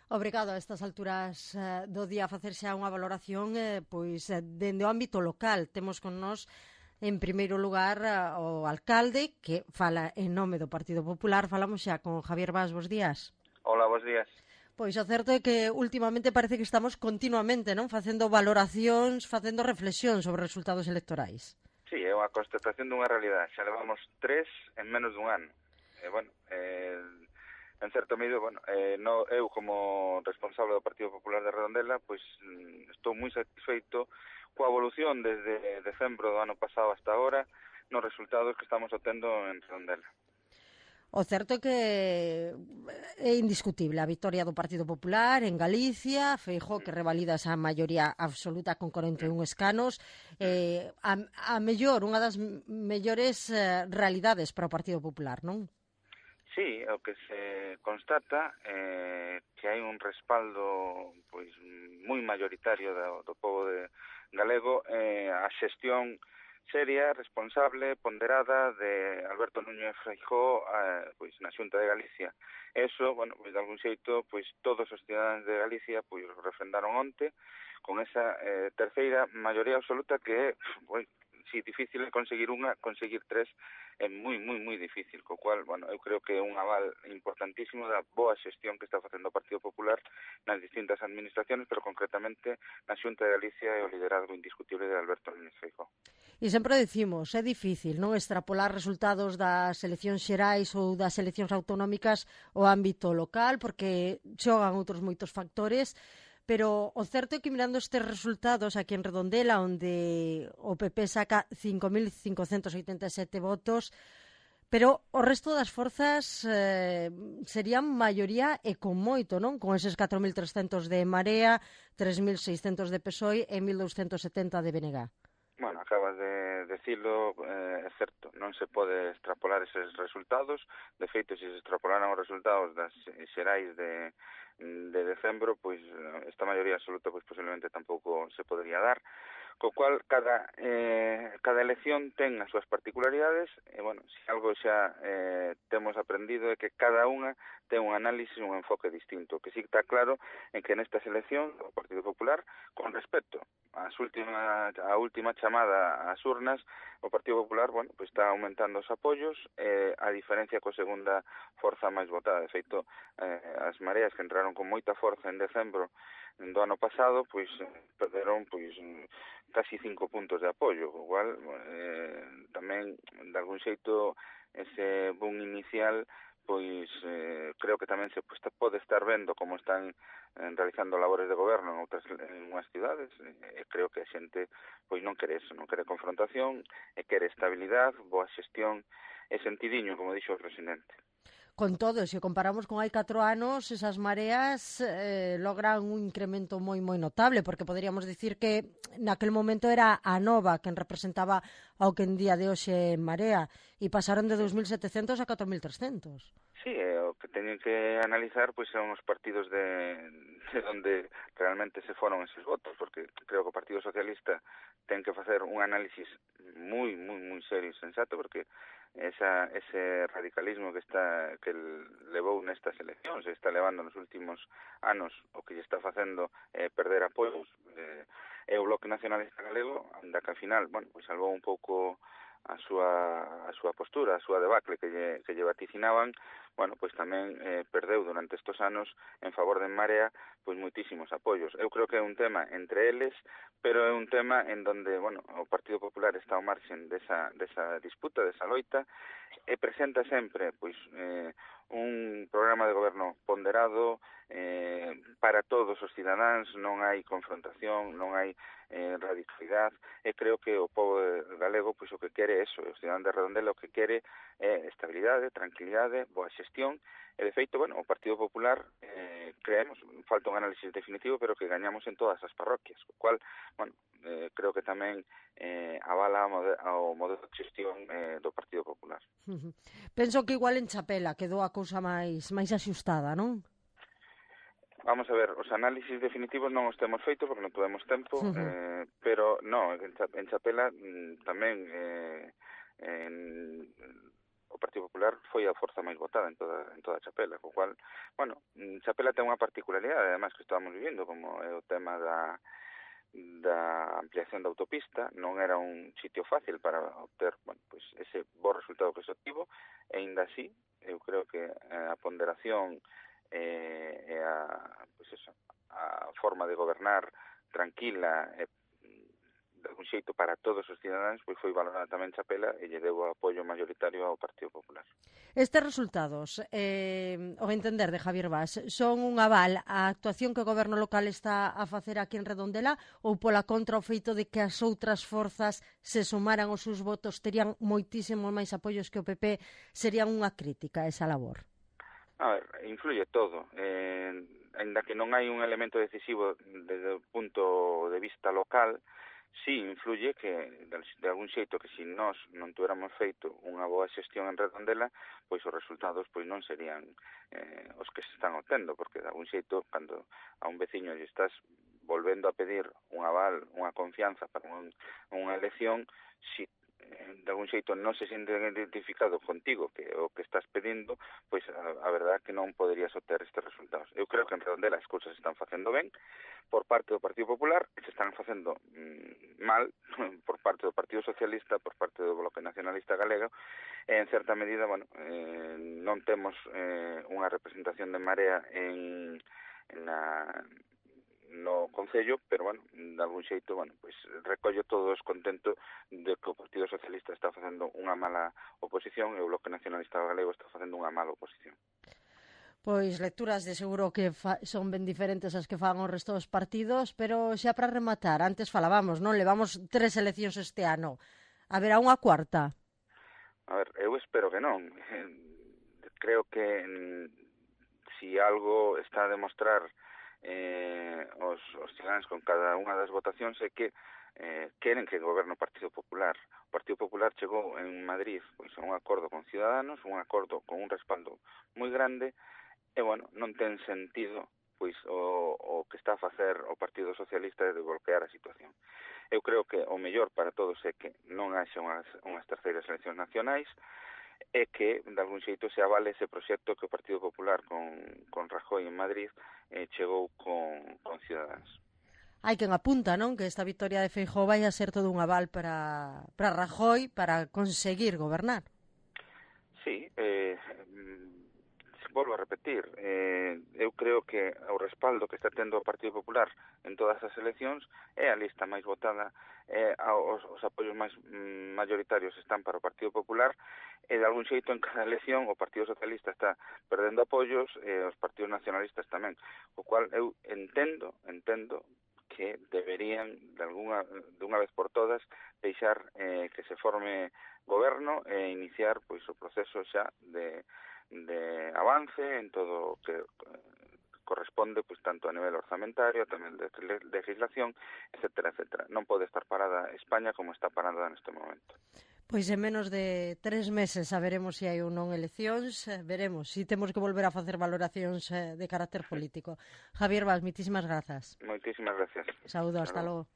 Obrigado a estas alturas do día a facer xa unha valoración dende o ámbito local. Temos con nós, en primeiro lugar, o alcalde, que fala en nome do Partido Popular. Falamos xa con Javier Bas, bos días. Hola, bos días. Pois o certo é que últimamente parece que estamos continuamente facendo valoracións, facendo reflexións sobre resultados electorais. Sí, é unha constatación dunha realidade. Xa levamos 3 en menos dun ano. En certo medio, eu como responsable do Partido Popular de Redondela, pois estou moi satisfeito coa evolución desde decembro do ano pasado hasta agora nos resultados que estamos obtendo en Redondela. O certo é que é indiscutible a victoria do Partido Popular en Galicia, Feijóo que revalida esa maioría absoluta con 41 escanos, a mellor, unha das mellores realidades para o Partido Popular, non? Sí, o que se constata que hai un respaldo pois moi mayoritario do pobo galego a xestión seria, responsable, ponderada de Alberto Núñez Feijóo pois na Xunta de Galicia. Eso, pois de algún xeito, pois todos os cidadáns de Galicia pois refrendaron onte con esa terceira maioría absoluta que é si difícil é conseguir tres é moi difícil, co cual, eu creo que é un aval importantísimo da boa xestión que está facendo o Partido Popular nas distintas administraciones, pero concretamente na Xunta de Galicia e o liderazgo indiscutible de Alberto Núñez Feijóo. E sempre decimos, é difícil non extrapolar resultados das eleccións xerais ou das eleccións autonómicas ao ámbito local, porque xogan outros moitos factores, pero o certo é que mirando estes resultados aquí en Redondela, onde o PP saca 5.587 votos, pero o resto das forzas serían maioría e con moito, non? Con eses 4.300 de Marea, 3.600 de PSOE e 1.270 de BNG. Acabas de decirlo, é certo, non se pode extrapolar eses resultados. De feito, se se extrapolaran os resultados das xerais de decembro, pois esta maioría absoluta pois posiblemente tampouco se podría dar, co cual cada elección ten as súas particularidades e, se algo xa temos aprendido é que cada unha ten un análisis, un enfoque distinto, que sí está claro en que nestas eleccións o Partido Popular, con respecto a última chamada ás urnas, o Partido Popular, pois está aumentando os apoios, a diferencia coa segunda forza máis votada. De feito, as Mareas que entraron con moita forza en decembro do ano pasado, pois perderon casi 5 puntos de apoio, o cual tamén, de algún xeito, ese boom inicial creo que tamén se pode estar vendo como están realizando labores de goberno en unhas cidades, e creo que a xente non quere eso, non quere confrontación, e quere estabilidade, boa xestión e sentidiño, como dixo o presidente. Con todo, se comparamos con hai 4 anos, esas Mareas logran un incremento moi notable, porque poderíamos dicir que naquel momento era a Nova quen representaba ao que en día de hoxe Marea, e pasaron de 2.700 a 4.300. Sí, o que teñen que analizar son os partidos de onde realmente se foron eses votos, porque creo que o Partido Socialista ten que facer un análisis moi serio e sensato, porque ese radicalismo que levou nestas eleccións e está levando nos últimos anos o que lle está facendo perder apoios é o Bloque Nacionalista Galego, anda que ao final, salvou un pouco a súa postura, a súa debacle que lle vaticinaban, tamén perdeu durante estes anos en favor de Marea moitísimos apoios. Eu creo que é un tema entre eles, pero é un tema en donde, o Partido Popular está ao marxen desa disputa, desa loita, e presenta sempre, un programa de goberno ponderado para todos os cidadáns, non hai confrontación, non hai radicalidade, e creo que o pobo galego o que quere é eso, os cidadáns de Redondela o que quere é estabilidade, tranquilidade, boa xestión, e de feito, o Partido Popular creemos, falta un análisis definitivo, pero que gañamos en todas as parroquias, o cual, creo que tamén avala ao modelo de xestión do Partido Popular. Penso que igual en Chapela quedou a cousa máis axustada, non? Vamos a ver, os análisis definitivos non os temos feito porque non tuvemos tempo, pero en Chapela tamén que o Partido Popular foi a forza máis votada en toda Chapela, co cual, bueno, Chapela ten unha particularidade, además, que estamos vivindo, como é o tema da ampliación da autopista. Non era un sitio fácil para obter, bueno, pues ese bo resultado que se obtivo, e ainda así eu creo que a ponderación e pues eso, a forma de gobernar tranquila e de algún xeito para todos os cidadáns, pois foi valorada tamén Chapela e lle deu o apoio mayoritario ao Partido Popular. Estes resultados, ao entender de Javier Bas, son un aval á actuación que o goberno local está a facer aquí en Redondela, ou pola contra o feito de que as outras forzas se sumaran os seus votos, terían moitísimo máis apoios que o PP, serían unha crítica a esa labor? A ver, influye todo. Ainda que non hai un elemento decisivo desde o punto de vista local, sí influye que, de algún xeito, que se nós non tuéramos feito unha boa xestión en Redondela, pois os resultados pois non serían os que se están obtendo, porque de algún xeito, cando a un veciño lle estás volvendo a pedir un aval, unha confianza para unha elección, si de algún xeito non se siente identificado contigo que o que estás pedindo, pois a verdade é que non poderías obter estes resultados. Eu creo que en Redondela as cousas se están facendo ben por parte do Partido Popular, e se están facendo mal por parte do Partido Socialista, por parte do Bloque Nacionalista Galego, e en certa medida, bueno, non temos unha representación de Marea no Concello, pero, bueno, de algún xeito, bueno, pois recollo todo o descontento de que o Partido Socialista está facendo unha mala oposición e o Bloque Nacionalista Galego está facendo unha mala oposición. Pois lecturas de seguro que son ben diferentes as que fan o resto dos partidos, pero xa para rematar, antes falábamos, non? Levamos 3 eleccións este ano. Haberá unha cuarta? A ver, eu espero que non. Creo que si algo está a demostrar os cidadáns con cada unha das votacións é que queren que goberne o Partido Popular. O Partido Popular chegou en Madrid pois a un acordo con Ciudadanos, un acordo con un respaldo moi grande, e, bueno, non ten sentido pois o que está a facer o Partido Socialista de bloquear a situación. Eu creo que o mellor para todos é que non haxa unhas terceiras eleccións nacionais, e que, de algún xeito, se avale ese proxecto que o Partido Popular con Rajoy en Madrid chegou con Ciudadanos. Hai quen apunta, non? Que esta victoria de Feijóo vai a ser todo un aval para Rajoy para conseguir gobernar. Sí, volvo a repetir, eu creo que o respaldo que está tendo o Partido Popular en todas as eleccións é a lista máis votada, os apoios máis mayoritarios están para o Partido Popular, e de algún xeito en cada elección o Partido Socialista está perdendo apoios e os partidos nacionalistas tamén, o cual eu entendo que deberían de unha vez por todas deixar que se forme goberno e iniciar pois o proceso xa de avance en todo o que corresponde pois tanto a nivel orzamentario, tamén de legislación, etcétera, etcétera. Non pode estar parada España como está parada neste momento. Pois en menos de 3 meses saberemos se hai ou non eleccións, veremos se temos que volver a facer valoracións de carácter político. Javier Bas, moitísimas grazas. Moitísimas gracias. Saúdo, hasta logo.